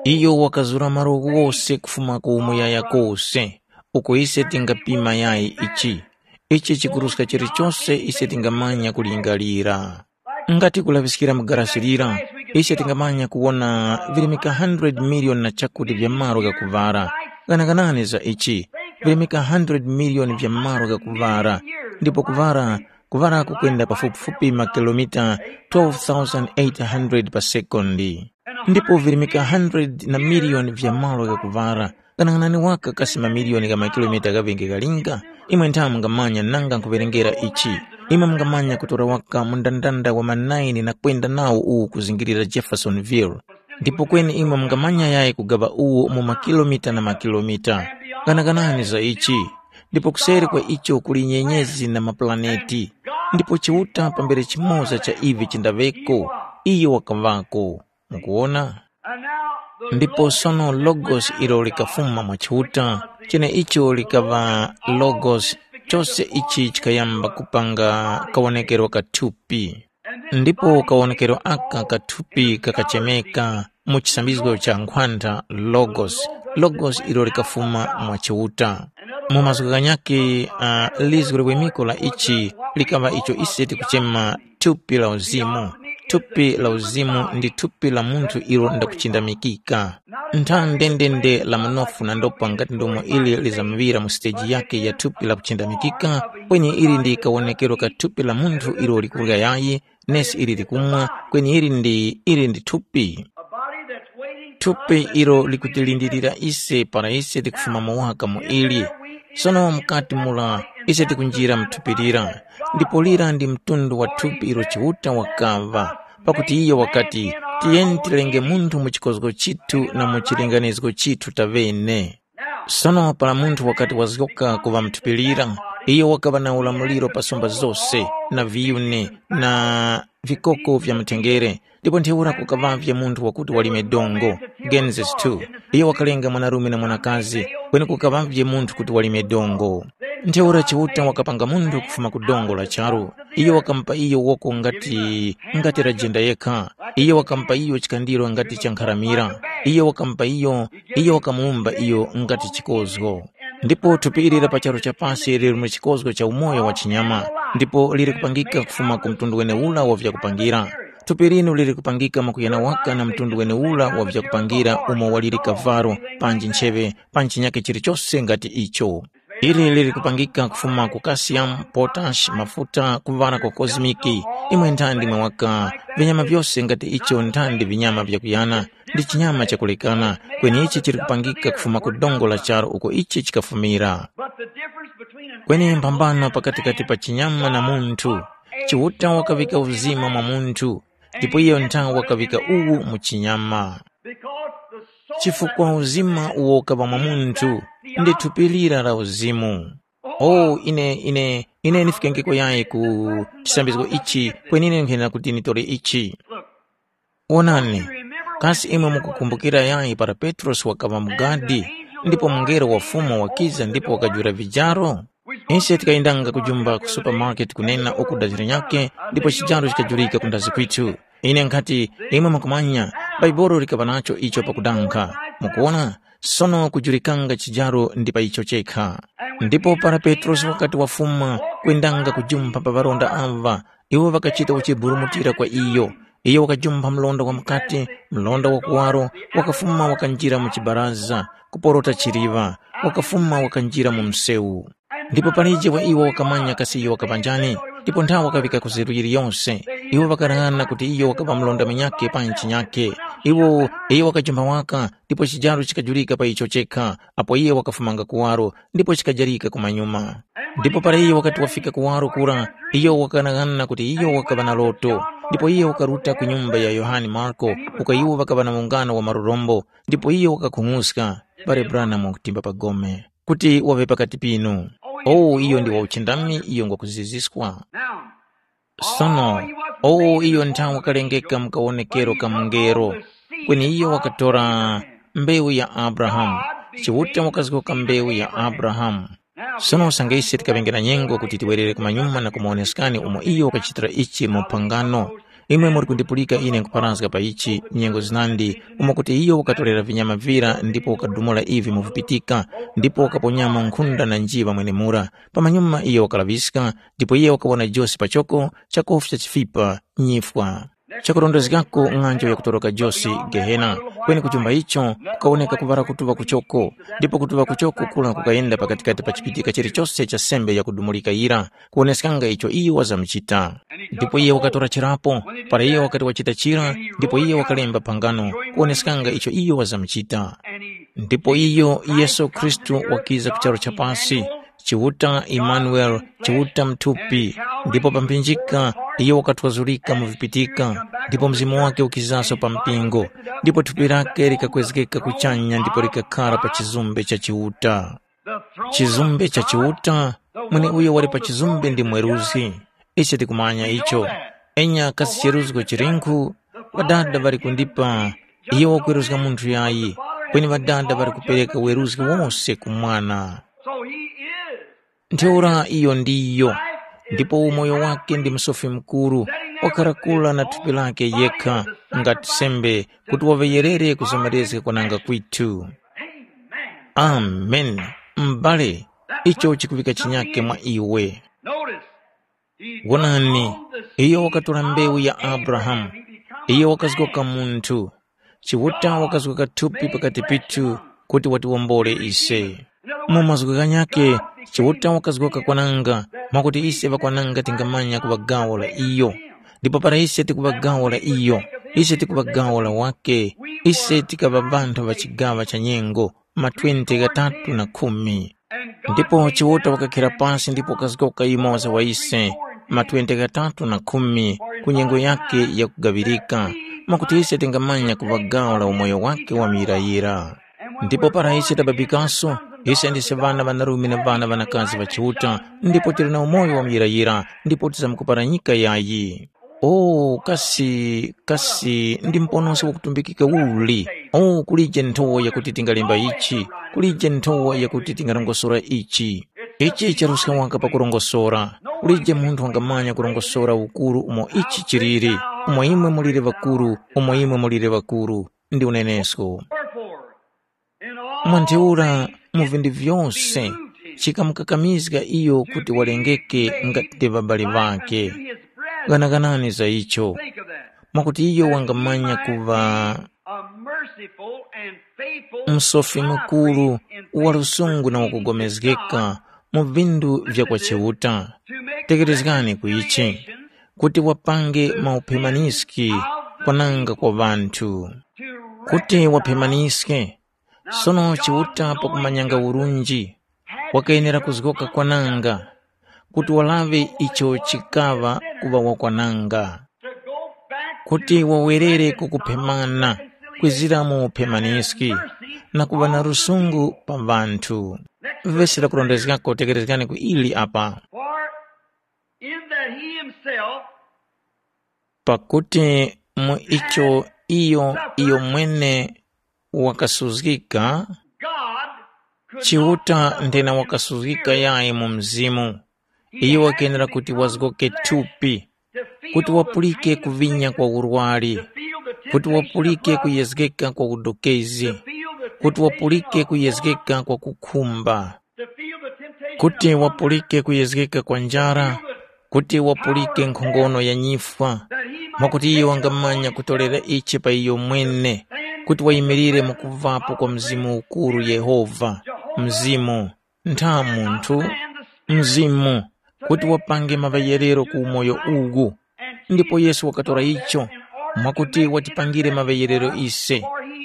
Iyo wakazura malo ghose kufuma ku umuyaya kose, uko ise tingapima yayi ichi. Ichi chikuruska chilichose ise tingamanya kulingalira. Ngati kulaŵiskira mu garasi lira, ise tingamanya kuwona virimika hundred miliyoni na chakuti vya malo ghakuŵala. Ghanaganani za ichi, virimika hundred miliyoni vya malo ghakuŵala, ndipo kuŵala kuŵala kukwenda pafupifupi makilomita twelve thousand eight hundred pa sekondi. Ndipo virimika hundred na miliyoni vya malo ghakuŵala. Ghanang'anani waka kasi mamiliyoni gha makilomita ghaŵenge ghalinga. Imwe nthawe mungamanya nanga nkhuwerengera ichi. Imwe mungamanya kutora waka mundandanda wa ma nine na kwenda nawo uwu kuzingirira Jeffersonville. Ndipo kweni imwe mungamanya yayi kugaŵa uwo mu makilomita na makilomita. Ghanaghanani za ichi. Ndipo kuseri kwa icho kuli nyenyezi na mapulaneti. Ndipo Chiuta pambere chimoza cha ivi chindaŵeko, iyo wakaŵako. Mukuwona? Ndipo sono Logos ilo likafuma mwa Chiuta, cheneicho likaŵa Logos, chose ichi chikayamba kupanga kawonekero ka thupi. Ndipo kawonekero aka ka thupi kakachemeka mu chisambizgo cha nkhwantha Logos, Logos ilo likafuma mwa Chiuta. Mu mazgu ghanyakhe, uh, lizgu liwemiko la ichi likaŵa icho ise tikuchema thupi la uzimu. Thupi la uzimu ndi thupi la munthu ilo ndakuchindamikika. Ntha ndendende la mnofu na ndopa ngati ndomo ili lizamuŵira mu siteji yakhe ya thupi la kuchindamikika, kweni ili ndi kawonekero ka thupi la munthu ilo likurya yayi, nesi ili likumwa, kweni ili ndi ili ndi thupi. Thupi ilo likutilindilira ise para ise tikufuma mu waka mu ili. Sono mukati mura ise tikunjira mu thupi lira, ndipo lira ndi mtundu wa thupi ilo Chiuta wakava, pakuti iyo wakati, tiyeni tilenge munthu mu chikozgo chithu na mu chilinganizgo chithu taŵene. Sono para munthu wakati wazgoka kuŵa muthupilira, iyo wakaŵa na ulamuliro pa sumba zose, na viyuni, na vikoko vya mutengere, ndipo ntheura kukaŵavye munthu wakuti walime dongo. Genesis two. Iyo wakalenga mwanarume na mwanakazi, kweni kukaŵavye munthu kuti walime dongo. Ntheura Chiuta wakapanga munthu kufuma ku dongo la charu. Iyo wakamupa iyo woko ngati ngati la jenda yekha. Iyo wakamupa iyo chikandiro ngati cha nkharamira. Iyo wakamupa iyo, iyo wakamuwumba iyo ngati chikozgo. Ndipo thupi ili la pa charu cha pasi lili mu chikozgo cha umoyo wa chinyama, ndipo lili kupangika kufuma ku mtundu wene ula wa vyakupangira. Thupi linu lili kupangika mwakuyana waka na mtundu wene ula wa vyakupangira umo waliri kavalo, panji ncheŵe, panji chinyake chilichose ngati icho. Ili lili kupangika kufuma ku calcium, potash, mafuta, kuŵala kwa cosmic. Imwe nthandi mwe waka, vinyama vyose ngati icho nthandi vinyama vyakuyana. ndi chinyama chakulekana, kweni ichi chili kupangika kufuma ku dongo la charu uko ichi chikafumira. Kweni mphambano pakatikati pa chinyama na munthu, Chiuta wakaŵika uzima mwa munthu, ndipo iyo nthawe wakaŵika uwu mu chinyama. Chifukwa uzima uwo ukaŵa mwa munthu, ndi thupi lira la uzimu. Oh, ine ine ine ndifikengeko yayi ku chisambizgo ichi, kweni ine nkhenera kuti nditore ichi. Wonani, kasi imwe mukukumbukira yayi para Petrosi wakaŵa mu gadi, ndipo mungelo wa Fumu wakiza ndipo wakajula vijaro? Ise tikayendanga kujumba ku supermarket kunena uku daziro nyakhe, ndipo chijaro chikajulika kundazi kwithu. Ine nkhati, imwe mukumanya, Bhaibuli likaŵa nacho icho pakudankha. Mukuwona, sono kujulikanga chijaro ndi pa icho chekha. Ndipo para Petrosi wakati wafuma kwendanga kujumpha pa ŵaronda ava, iwo ŵakachita kuchiburumutira kwa iyo. Iyo wakajumpha mlonda wa mukati, mlonda wa kuwaro, wakafuma wakanjira mu chibaraza, kuporota chiliŵa, wakafuma wakanjira mu msewu. Ndipo palije wa iwo wakamanya kasi iyo wakaŵa njani, ndipo nthawe wakaŵika ku zeru yiliyose. Iwo ŵakalaghana kuti iyo wakaŵa mlonda munyakhe pa ntchi nyakhe. Iwo iyo wakajumba waka, ndipo chijaro chikajulika pa icho chekha, apo iye wakafumanga kuwaro, ndipo chikajarika kumanyuma. Ndipo para iyo wakati wafika kuwaro kura, iyo wakalaghana kuti iyo wakaŵa na loto, ndipo iyo wakaruta ku nyumba ya Yohane Marko, uko iwo ŵakaŵa na mungano wa marurombo, ndipo iyo wakakhung'uska, pale Branham wakutimba pa gome. Kuti waŵe pakati pinu. Oh, iyo ndi wauchindami, iyo ngwakuziziswa. Sono, oh, iyo nthawe wakalengeka mu kawonekero ka mungelo, kweni iyo wakatora mbewu ya Abrahamu. Chiuta wakazgoka mbewu ya Abrahamu. Sono usange ise tikaŵenge na nyengo kuti tiwerere kumanyuma na kumuwoneskani umo iyo wakachitira ichi mu phangano, imwe muri kundipulika ine nkupharazga pa ichi nyengo zinandi, umo kuti iyo wakatorera vinyama vira ndipo wakadumula ivi mu vipitika, ndipo wakaponyamo nkhunda na njiŵa mwenemura. Pamanyuma iyo wakalaŵiska, ndipo iyo wakawona Jose pachoko, chakofu cha chifipa, nyifwa. Chakurondezgako ng'anjo yakutoroka Jose Gehena, kweni kuchumba icho kukawoneka kuŵala kutuŵa kuchoko, ndipo kutuŵa kuchoko kula kukayenda pakatikati pa chipitika chilichose cha sembe yakudumulika yira, kuwoneskanga icho iyo wazamuchita. Ndipo iye wakatora chirapo, para iye wakati wachita chira, ndipo iye wakalemba phangano, kuwoneskanga icho iyo wazamuchita. Ndipo iyo Yesu Khristu wakiza ku charu cha pasi, Chiuta Imanuele, Chiuta muthupi, ndipo pamphinjika iyo wakathwazurika mu vipitika, ndipo mzimu wake ukizaso pa mpingo, ndipo thupi lake likakwezgeka kuchanya ndipo likakhara pa chizumbe cha Chiuta. Chizumbe cha Chiuta, mweneuyo wali pa chizumbe ndi mweruzgi. Ise tikumanya icho. Enya kasi cheruzgo chilinkhu, Ŵadada ŵali kundipa iyo wakweruzga munthu yayi, kweni Ŵadada ŵali kupereka weruzgi wose ku Mwana. So he is. Ntheura iyo ndiyo, ndipo umoyo wake ndi msofi mukuru, wakharakula na thupi lake yekha ngati sembe, kuti waŵeyerere kuzomerezga kwananga kwithu. Amen. M'bale, icho chikuŵika chinyake mwa iwe. Notice, wonani, iyo wakatora mbewu ya Abrahamu, iyo wakazgoka munthu, Chiuta wakazgoka thupi pakati pithu kuti watiwombole ise. Mu mazgu ghanyakhe, Chiuta wakazgoka kwananga, mwakuti ise ŵakwananga tingamanya kuŵa gawo la iyo. Ndipo para ise tikuŵa gawo la iyo, ise tikuŵa gawo la wake, ise tikaŵa ŵanthu ŵa chigaŵa cha nyengo, ma twenty ghatatu na khumi. Ndipo Chiuta wakakhira pasi ndipo wakazgoka yumoza wa ise, ma twenty ghatatu na khumi, ku nyengo yakhe yakugaŵirika, mwakuti ise tingamanya kuŵa gawo la umoyo wake wa muyirayira. Ndipo para ise tababikaso, ise ndise ŵana ŵanarume na ŵana ŵanakazi ŵa Chiuta, ndipo tili na umoyo wa muyirayira, ndipo tisamkuparanyika yayi. O, kasi, kasi ndi mponosi wakutumbikika uli? O, kulije nthowa yakuti tingalemba ichi, kulije nthowa yakuti tingarongosora ichi. Ichi charuska waka pakurongosora. Kulije munthu wangamanya kurongosora ukuru umo ichi chiliri, umo imwe mulire ŵakuru, umo imwe mulire ŵakuru. Ndi unenesko. Mwa ntheura mu vinthu vyose chikamukakamizga iyo kuti walengeke ngati ŵabali ŵakhe. Ghanaganani za icho, mwakuti iyo wangamanya kuŵa msofi mukuru, wa lusungu na wakugomezgeka mu vinthu vya kwa Chiuta. Tekerezgani ku ichi, kuti wapange mauphemaniski kwananga kwa ŵanthu. Kuti waphemaniske, sono Chiuta pakumanyanga urunji, wakayenera kuzgoka kwananga, kuti walaŵe icho chikaŵa kuŵa wakwananga, kuti wawerere ku kuphemana kwizira mu uphemaniski, na kuŵa na lusungu pa ŵanthu. Vesi lakurondezgako tekerezgani ku ili apa. For in that he himself Pakuti mu icho iyo iyo mwene wakasuzgika, God could Chiuta not nthena wakasuzgika yayi mu mzimu. Iyo wakenera kuti wazgoke thupi, kuti wapulike kuvinya kwa urwari, kuti wapulike kuyezgeka kwa udokezi, kuti wapulike kuyezgeka kwa kukhumba, kuti wapulike kuyezgeka kwa njara, kuti wapulike nkhongono ya nyifwa, mwakuti iyo wangamanya kutolera ichi pa iyo mwene, kuti wayimirire mu kuvapo kwa Mzimu ukuru Yehova, Mzimu, ntha munthu, Mzimu, kuti wapange maŵeyerero ku umoyo uwu. Ndipo Yesu wakatora icho, mwakuti watipangire maŵeyerero ise,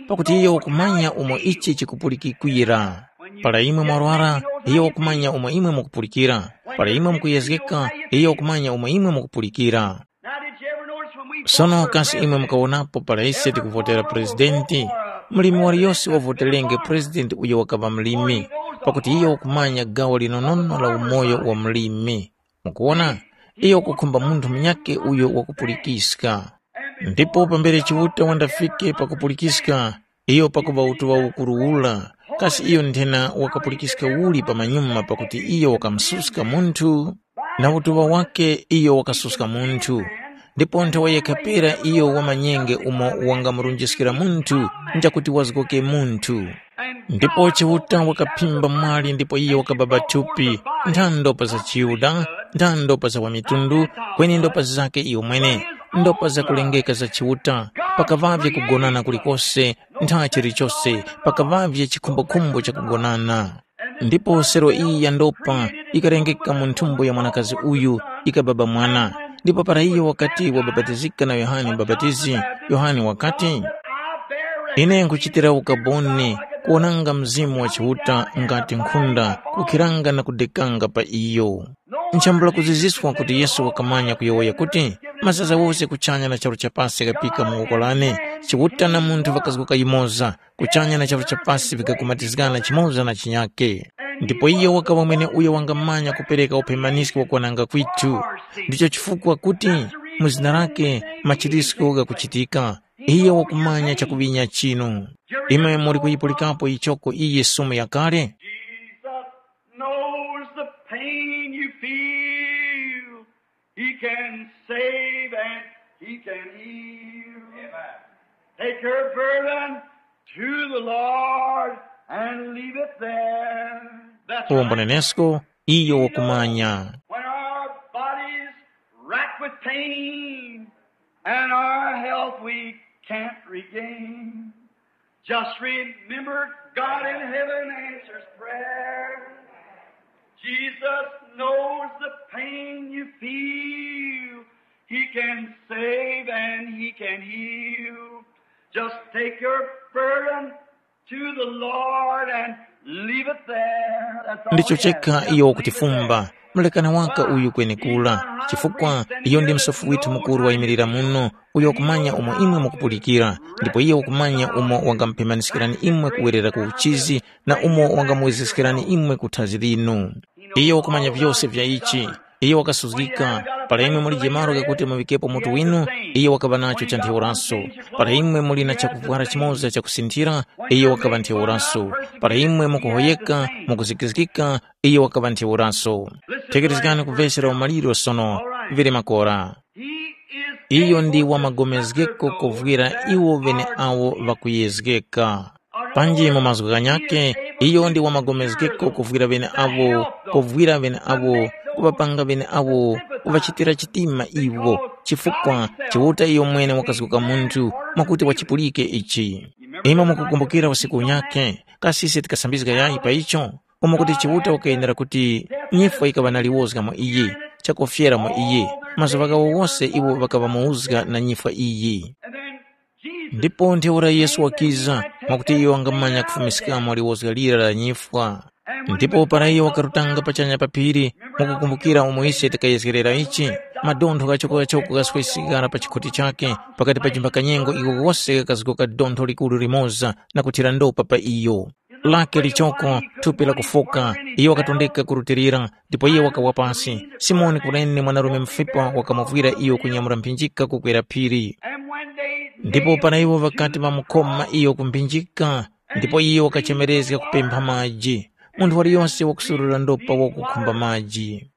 pakuti iyo wakumanya umo ichi chikupulikikwira. Para imwe mwarwara, iyo wakumanya umo imwe mukupulikira. Para imwe mukuyezgeka, iyo wakumanya umo imwe mukupulikira. Now, did you ever notice when we Sono kasi imwe mukawonapo para ise tikuvotera purezidenti, mlimi waliyose wavoterenge purezidenti uyo wakaŵa mlimi, pakuti iyo wakumanya gawo linonono la umoyo wa mlimi. Mukuwona, iyo wakukhumba munthu munyakhe uyo wakupulikiska. Ndipo pambere Chiuta wandafike pakupulikiska, iyo pakuŵa utuŵa ukuru ura, kasi iyo nthena wakapulikiska uli pamanyuma pakuti iyo wakamususka munthu? Na utuŵa wakhe iyo wakasuska munthu. Ndipo nthawe yekha pera iyo wamanyenge umo wangamurunjiskira munthu njakuti wazgoke munthu. Ndipo Chiuta wakaphimba mwali ndipo iyo wakababa thupi, ntha ndopa za chiYuda, ntha ndopa za wamitundu, kweni ndopa zakhe iyo mwene, ndopa zakulengeka za Chiuta, pakaŵavye kugonana kulikose, ntha chilichose, pakaŵavye chikhumbokhumbo cha kugonana. Ndipo sero iyi ya ndopa ikarengeka mu nthumbo ya mwanakazi uyu, ikababa mwana. Ndipo para iyo wakati wabapatizika na Yohane Mubapatizi, Yohane wakati, Ine nkuchitira ukaboni kuwonanga Mzimu wa Chiuta ngati nkhunda kukhiranga na kudekanga pa iyo. Nchambula kuziziswa kuti Yesu wakamanya kuyowoya kuti, mazaza wose kuchanya na charu cha pasi ghapika mu woko lane, Chiuta na munthu ŵakazgoka yumoza, kuchanya na charu cha pasi vikakumatizgana chimoza na chinyake. Ndipo iyo wakaŵa mwene uyo wangamanya kupereka uphemaniski wakwananga kwithu. Ndicho chifukwa kuti mu zina lake machirisko ghakuchitika. Iyo wakumanya chakuŵinya chinu. Imwe muli kuyipulikapo ichoko iyi sumu yakale? Jesus knows the pain you feel. He can save and he can heal. Take your burden to the Lord and leave it there. That's right. Uwombonenesko, iyo wakumanya. When our bodies racked with pain and our health we can't regain, just remember God in heaven answers prayer. Jesus knows the pain you feel. He can save and he can heal. Just take your burden to the Lord and leave it there. That's all. Ndicho he has. Chekha Just iyo leave it wakutifumba there. Mulekani waka uyu kwenekura, chifukwa iyo ndi msofi withu mukuru wayimirira muno, uyo wakumanya umo imwe mukupulikira, ndipo iyo wakumanya umo wangamupemaniskirani imwe kuwerera ku uchizi na umo wangamuwezeskerani imwe ku thazi linu. Iyo wakumanya vyose vya ichi. Iyo wakasuzgika. Para imwe mulije malo ghakuti muŵikepo mutu winu, iyo wakaŵa nacho cha ntheuraso. Para imwe muli na chakuvwara chimoza chakusinthira, iyo wakaŵa ntheuraso. Para imwe mukuhoyeka, mukuzikizgika, iyo wakaŵa ntheuraso. Thekerezgani ku vesi la umaliro sono, vili makora. Iyo ndi wamagomezgeko kuvwira iwo ŵeneawo ŵakuyezgeka. Panji mu mazgu ghanyakhe, iyo ndi wamagomezgeko kuvwira ŵeneawo, kuvwira ŵeneawo, kuŵapanga ŵeneawo, kuŵachitira chitima iwo, chifukwa Chiuta iyo mwene wakazguka munthu mwakuti wachipulike ichi. Imwe mukukumbukira usiku unyakhe, kasi ise tikasambizga yayi pa icho? Umo kuti Chiuta wakayenera kuti nyifwa yikaŵa na liwozga mwa iye, chakufyera mwa iye. Mazuŵa ghawo wose iwo ŵakaŵa mu uzga na nyifwa iyi. Ndipo ntheura Yesu wakiza, mwakuti iyo wangamanya kufumiskamo liwozga lira la nyifwa. Ndipo para iyo wakarutanga pachanya pa phiri, mukukumbukira umo ise tikayezgerera ichi, madontho ghachoko-ghachoko ghaswesekara pa chikhote chakhe, pakati pa jimba kanyengo iko wose ghakazgoka dontho likuru limoza na kuthira ndopa pa iyo. Lake lichoko, thupi lakufoka, iyo wakatondeka kurutilira, ndipo iyo wakawa pasi. Simoni Kurene mwanarume mufipa wakamuvwira iyo kunyamura mphinjika kukwera phiri. Ndipo para iwo ŵakati ŵamukoma iyo ku mphinjika, ndipo iyo wakachemerezga kupempha maji. Munthu waliyose wakusurura ndopa wakukhumba maji.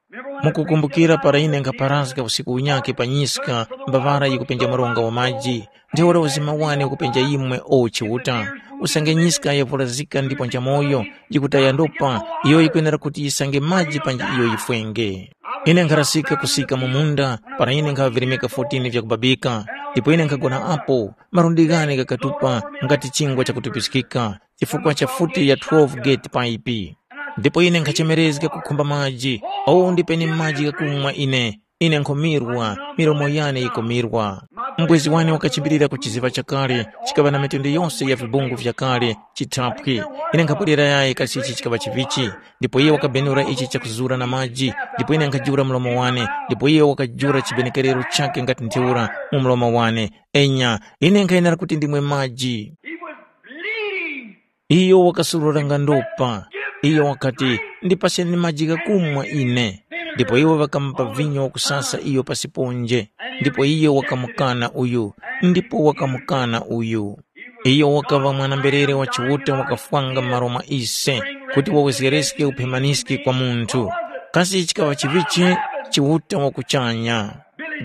Mukukumbukira para ine nkhaparazga usiku unyakhe pa nyiska, mbavara yikupenja mronga wa maji, ntheura uzima wane ukupenja imwe o Chiuta. Usange nyiska yavulazika ndipo nchamoyo, yikutaya ndopa, iyo yikwenera kuti yisange maji panji iyo yifwenge. Ine nkharasika kusika mu munda, para ine nkhaŵa virimika fourteen vyakubabika, ndipo ine nkhagona apo, malundi ghane ghakatupa nga ti chingwa chakutupiskika, chifukwa cha futi ya twelve gate paipi. Ndipo ine nkhachemerezga kukhumba maji, owu ndipeni maji ghakumwa ine, ine nkhumirwa, milomo yane yikumirwa. Mbwezi wane wakachimbirira ku chiziŵa chakale, chikaŵa na mitundu yose ya vibungu vyakale, chithaphwi. Ine nkhabwerera yayi kasi ichi chikaŵa chivichi, ndipo iye wakabenura ichi chakuzura na maji, ndipo ine nkhajula mlomo wane, ndipo iye wakajula chibenekerero chakhe ngati ntheura mu mlomo wane. Enya, ine nkhayenera kuti ndimwe maji. He was bleeding. Iyo wakasururanga ndopa. Iyo wakati, ndipaseni maji ghakumwa ine. Ndipo iwo ŵakamupa vinyo wakusasa iyo pasiponje. Ndipo iyo wakamukana uyu, ndipo wakamukana uyu. Iyo wakaŵa mwana-mberere wa Chiuta wakafwanga m'malo mwa ise, kuti wawezgereske uphemaniski kwa munthu. Kasi chikaŵa chivichi? Chiuta wa kuchanya.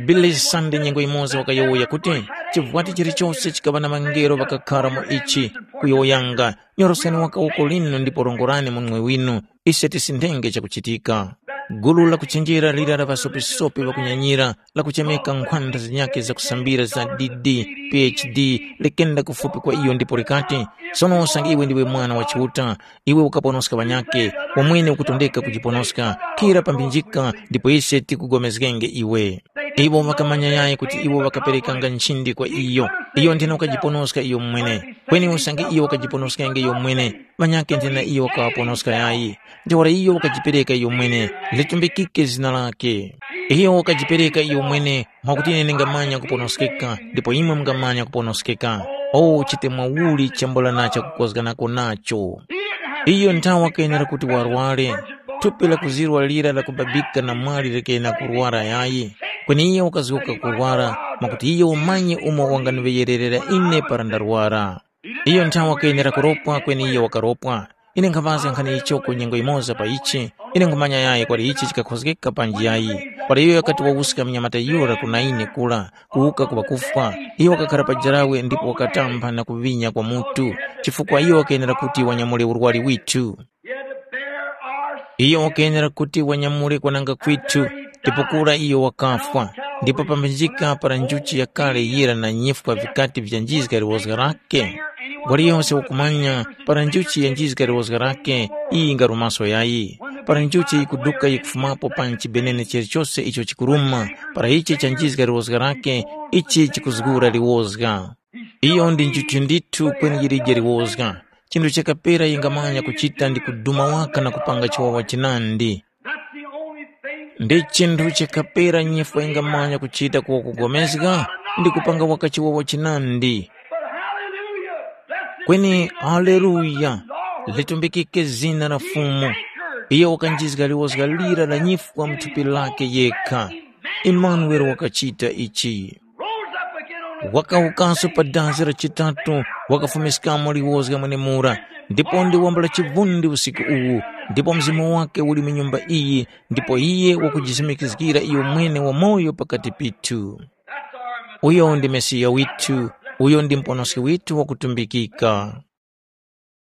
Billy Sunday nyengo yimoza wakayowoya kuti, chivwati chilichose chikaŵa na ŵangelo ŵakakhara mu ichi, kuyowoyanga, nyorosani waka uko lino ndipo rongorani mu mwe winu, ise tisindenge chakuchitika. Gulu la kuchenjera lira la ŵasopisopi ŵakunyanyira, lakuchemeka nkhwanda zinyakhe zakusambira za D D, P H D, likenda kufupi kwa iyo ndipo likati, sono usange iwe ndiwe Mwana wa Chiuta, iwe ukaponoska ŵanyakhe, wamwene ukutondeka kujiponoska, khira pa mphinjika ndipo ise tikugomezgenge iwe. Iwo ŵakamanya yayi kuti iwo ŵakaperekanga nchindi kwa iyo. Iyo nthena wakajiponoska iyo mwene. Kweni usange iyo wakajiponoskenge iyo mwene, ŵanyakhe nthena iyo wakaŵaponoska yayi. Ntheura iyo wakajipereka iyo mwene, litumbikike zina lakhe. Iyo wakajipereka iyo mwene, mwakuti ine ndingamanya kuponoskeka, ndipo imwe mungamanya kuponoskeka. O chite mwauli chambula na chakukozganako nacho. Iyo nthawa kenera kuti warware, thupi la kuzirwa lira lakubabika na mwali likena kurwara yayi. Kweni iyo wakazgoka kurwara, mwakuti iyo wamanye umo wanganiŵeyererera ine para ndarwara. Iyo nthawa kenera kuropwa kweni iyo wakaropwa. Ine nkhaŵazga nkhani icho ku nyengo yimoza pa ichi, ine nkhumanya yayi kwali ichi chikakhozgeka panji yayi. Kwali iyo wakati wawuska mnyamata yura ku Naini kura, kuwuka ku ŵakufwa. Iyo wakakhara pa jarawe ndipo wakatamba na kuŵinya kwa mutu, chifukwa iyo wakenera kuti wanyamule urwari withu. He had to bear our Iyo wakenera kuti wanyamule kwananga kwithu, ndipo kura iyo wakafwa. Ndipo pambinjika para njuchi yakale yira na nyifwa vikati vyanjizga liwozga lake. Waliyonse wakumanya para njuchi yanjizga liwozga lake, iyi ingarumaso yayi. Para njuchi yikuduka yikufumapo pa chibenene chilichose icho chikuruma, para ichi chanjizga liwozga lake, ichi chikuzgura liwozga. Iyo ndi njuchi ndithu kweni yilije liwozga. Chinthu chakapera yingamanya kuchita ndi kuduma waka na kupanga chiwawa chinandi. That's the only thing. Ndi chinthu chakapera nyifwa yingamanya kuchita kuwa kugomezga ndi kupanga waka chiwawa chinandi. But hallelujah, blessed Kweni be the name of the haleluya, Lord. Litumbikike zina la Fumu. Iye wakanjizga liwozga lira la nyifwa mu thupi lake yekha. Imanueli wakachita ichi. Rose up again on the Wakawukanso pa dazi la chitatu, wakafumiskamo liwozga mwenemura, ndipo ndi wambula chivundi usiku uwu, ndipo mzimu wake uli mu nyumba iyi, ndipo iye wakujisimikizgira iyo mwene wamoyo pakati pithu. That's our Messiah. Uyo ndi Mesiya withu, uyo ndi Muponoski withu wakutumbikika.